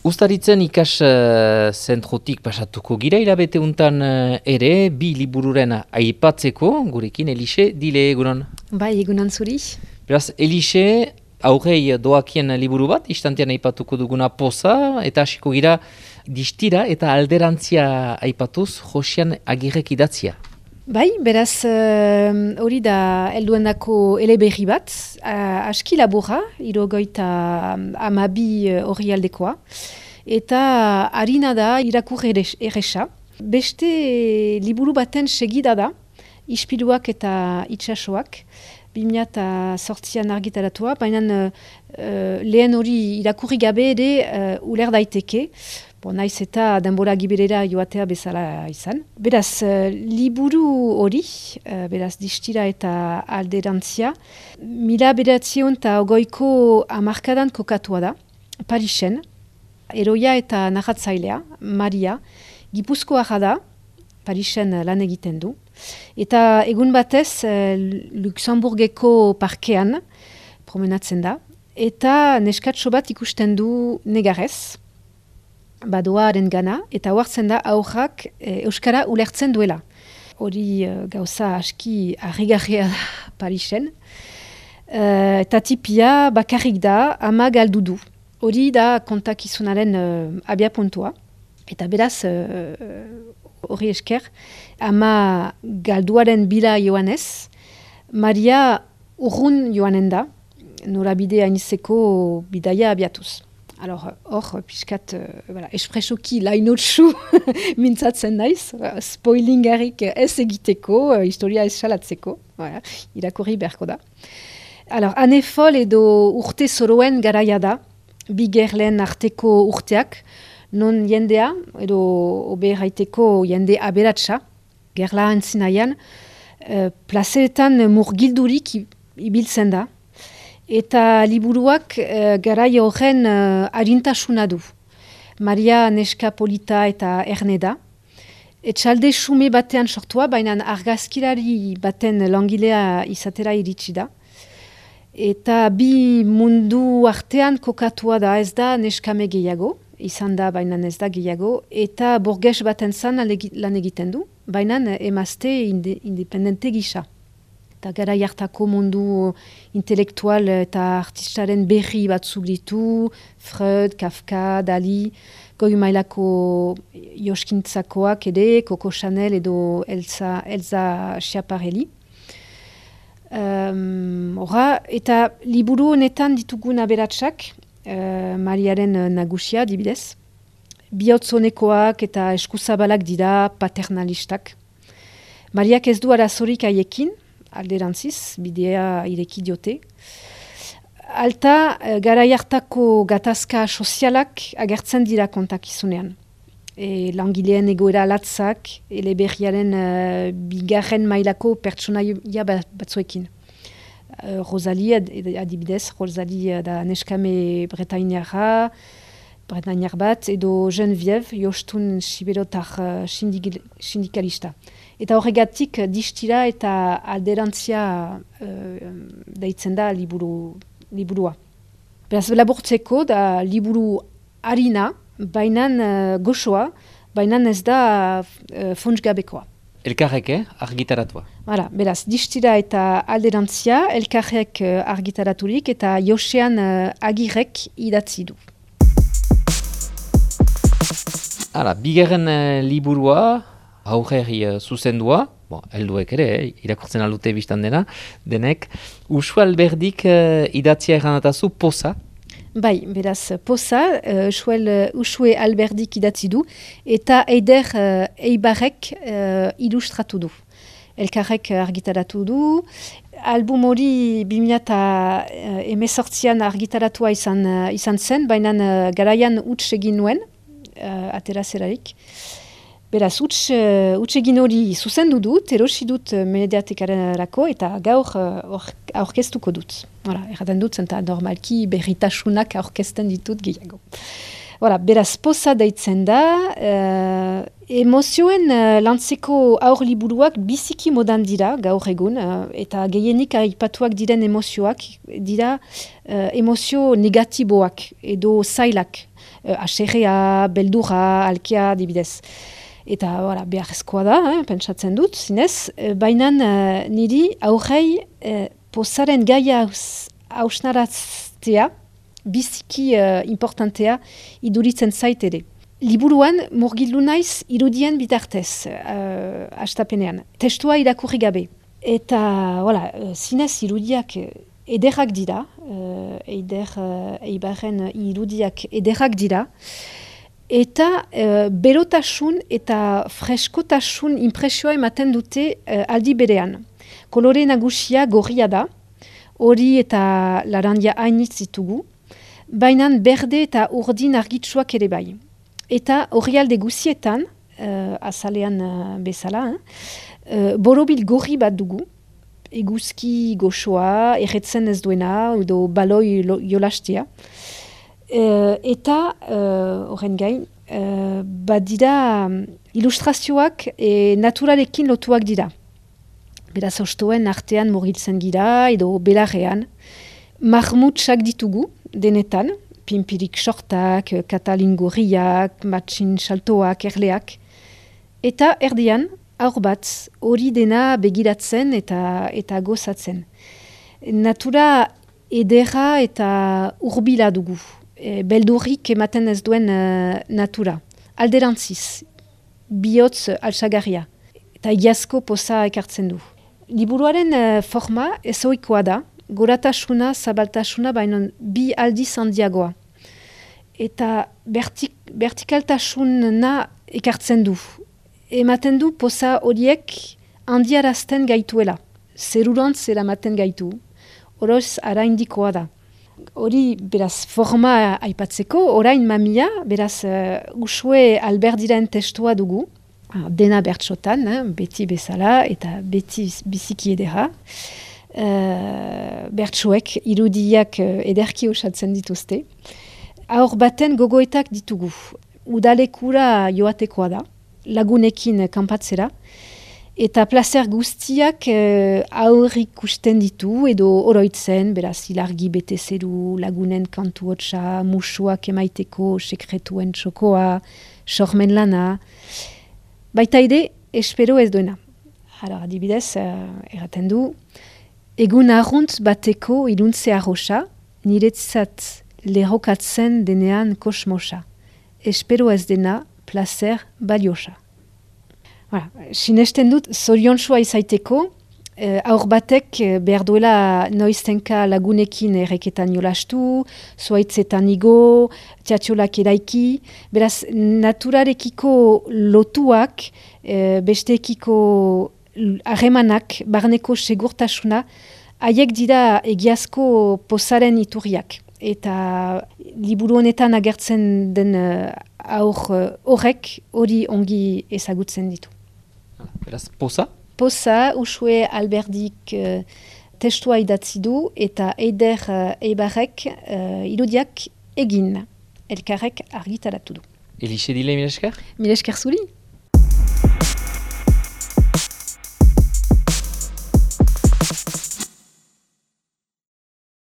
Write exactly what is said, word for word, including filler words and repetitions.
Uztaritzen ikas uh, zentrotik pasatuko gira hilabete untan uh, ere, bi libururen aipatzeko, gurekin Elixe, dile egunon. Bai, egunon zuri. Beraz, Elixe, aurrei doakien liburu bat, istantean aipatuko duguna Poza, eta hasiko gira distira eta alderantzia aipatuz, Josian Agirrek idatzia. Bai, beraz, hori uh, da helduendako eleberri bat, uh, aski laburra, irogoita amabi hori uh, aldekoa, eta harina da irakur erresa. Beste liburu baten segida da, ispiluak eta itsasoak, bi mila zortzian argitaratua, baina uh, lehen hori irakurri gabe ere uh, uler daiteke, Bo, naiz eta denbora giberera joatea bezala izan. Beraz, uh, liburu hori, uh, beraz, distira eta alderantzia, mila bederatzion eta ogoiko hamarkadan kokatua da, Parisen, eroia eta narratzailea, Maria, Gipuzkoarra da, Parisen lan egiten du, eta egun batez uh, Luxemburgeko parkean promenatzen da, eta neskatxo bat ikusten du negarez, badoaren gana, eta oartzen da aurrak e, Euskara ulertzen duela. Hori e, gauza aski harrigarria da Parisen. E, eta tipia bakarrik da ama galdu du. Hori da kontakizunaren e, abia puntua. Eta beraz, hori e, esker, ama galduaren bila joanez, Maria urrun joanen da, norabide hainizeko bidaia abiatuz. Alors, hor, piskat, uh, voilà, espresoki lainotsu mintzatzen naiz, spoilingarik ez egiteko, uh, historia ez salatzeko, voilà, irakurri beharko da. Alors, anefol edo urte zoroen garaia da, bi gerlen arteko urteak, non jendea, edo obe erraiteko jende aberatsa, gerla antzinaian, uh, plazeetan murgildurik ibiltzen da, eta liburuak uh, garai horren uh, arintasuna du. Maria neska polita eta erne da. Etxalde xume batean sortua, baina argazkilari baten langilea izatera iritsi da. Eta bi mundu artean kokatua da, ez da neskame gehiago, izan da baina ez da gehiago, eta borges baten zan lan egiten du, baina emazte inde, independente gisa. Eta gara jartako mundu intelektual eta artistaren berri batzuk ditu, Freud, Kafka, Dali, goi mailako joskintzakoak ere, Coco Chanel edo Elsa, Elsa Schiaparelli. Um, Hora, eta liburu honetan ditugun aberatsak, uh, Mariaren nagusia dibidez, bihotzonekoak eta eskuzabalak dira paternalistak. Mariak ez du arazorik haiekin, alderantziz, bidea ireki diote. Alta, garai hartako gatazka sozialak agertzen dira kontakizunean. E, langileen egoera latzak, eleberriaren uh, bigarren mailako pertsonaia batzuekin. Uh, Rosalie, adibidez, Rosalie da neskame bretainiarra, bretainiar bat, edo Geneviève, jostun siberotar uh, sindik, sindikalista. Eta horregatik distira eta alderantzia uh, deitzen da liburu, liburua. Beraz, laburtzeko da liburu harina, bainan uh, goxoa, bainan ez da uh, funtsgabekoa. Elkarrek, eh? Argitaratua. Hala, beraz, distira eta alderantzia, elkarrek uh, argitaraturik eta Josean uh, Agirrek idatzi du. Hala, bigarren uh, liburua, aurreri uh, zuzendua, bon, helduek ere, eh, irakurtzen aldute biztan dena, denek, Uxue Alberdik uh, idatzia erranatazu Poza. Bai, beraz, Poza, uh, Uxue Alberdik idatzi du, eta Eider uh, Eibarrek uh, ilustratu du. Elkarrek argitaratu du, album hori bi mila hemezortzian argitaratua izan, uh, izan zen, baina uh, garaian huts egin nuen, uh, atera zelarik. Beraz, huts uh, egin hori zuzendu dut, erosi dut uh, mediatekarako eta gaur uh, aurkeztuko dut. Hora, erraten dut, zenta normalki berritasunak aurkezten ditut gehiago. Voilà, beraz poza deitzen da, uh, emozioen uh, lantzeko aur liburuak biziki modan dira gaur egun, uh, eta gehienik aipatuak diren emozioak dira uh, emozio negatiboak edo zailak, uh, aserrea, beldurra, alkea, dibidez. Eta voilà, beharrezkoa da, eh, pentsatzen dut, zinez, uh, baina uh, niri aurrei uh, pozaren gaia hausnaraztea, biziki uh, importantea iduritzen zait ere. Liburuan murgildu naiz irudien bitartez, uh, astapenean. Testua irakurri gabe. Eta, voilà, zinez irudiak ederrak dira, uh, eider uh, eibarren irudiak ederrak dira, eta uh, berotasun eta freskotasun impresioa ematen dute uh, aldi berean. Kolore nagusia gorria da, hori eta larandia hainitz ditugu, baina berde eta urdin argitsuak ere bai. Eta orrialde guzietan, uh, azalean uh, bezala, uh, borobil gorri bat dugu, eguzki goxoa, erretzen ez duena, edo baloi jolastea. Uh, eta, horren uh, gain, uh, badira um, ilustrazioak e, naturarekin lotuak dira. Beraz ostoen artean murgiltzen gira, edo belarrean. Marmutsak ditugu, denetan, pimpirik sortak, katalin gorriak, matxin saltoak, erleak. Eta erdian, aur bat, hori dena begiratzen eta eta gozatzen. Natura edera eta urbila dugu. E, beldurrik ematen ez duen uh, natura. Alderantziz, bihotz altsagarria. Eta iazko poza ekartzen du. Liburuaren uh, forma ezoikoa da, goratasuna, zabaltasuna, baina bi aldiz handiagoa. Eta vertik, vertikaltasuna ekartzen du. Ematen du poza horiek handiarazten gaituela. Zerurantz eramaten gaitu. Oroz araindikoa da. Hori, beraz, forma aipatzeko, orain mamia, beraz, uh, usue alberdiren testua dugu. Dena bertsotan, eh, beti bezala eta beti biziki edera. Uh, bertsoek irudiak uh, ederki osatzen dituzte. Aur baten gogoetak ditugu. Udalekura joatekoa da, lagunekin kanpatzera, eta plazer guztiak uh, aurrik usten ditu, edo oroitzen, beraz ilargi bete zeru, lagunen kantu hotsa, musuak emaiteko, sekretuen txokoa, sormen lana, baita ere, espero ez duena. Hala, adibidez, uh, erraten du, egun arrunt bateko iluntze arroxa, niretzat lerrokatzen denean kosmosa. Espero ez dena, placer baliosa. Voilà. Sinesten dut, zoriontsua izaiteko, eh, aur batek behar duela noiztenka lagunekin erreketan jolastu, zuaitzetan igo, teatxolak eraiki, beraz, naturarekiko lotuak, eh, besteekiko harremanak, barneko segurtasuna, haiek dira egiazko pozaren iturriak. Eta liburu honetan agertzen den uh, aur horrek hori ongi ezagutzen ditu. Beraz, poza? Poza, usue alberdik uh, testua idatzi du eta eider uh, eibarrek uh, irudiak egin. Elkarrek argitaratu du. Elixe dile, mil esker? Mil esker zuri.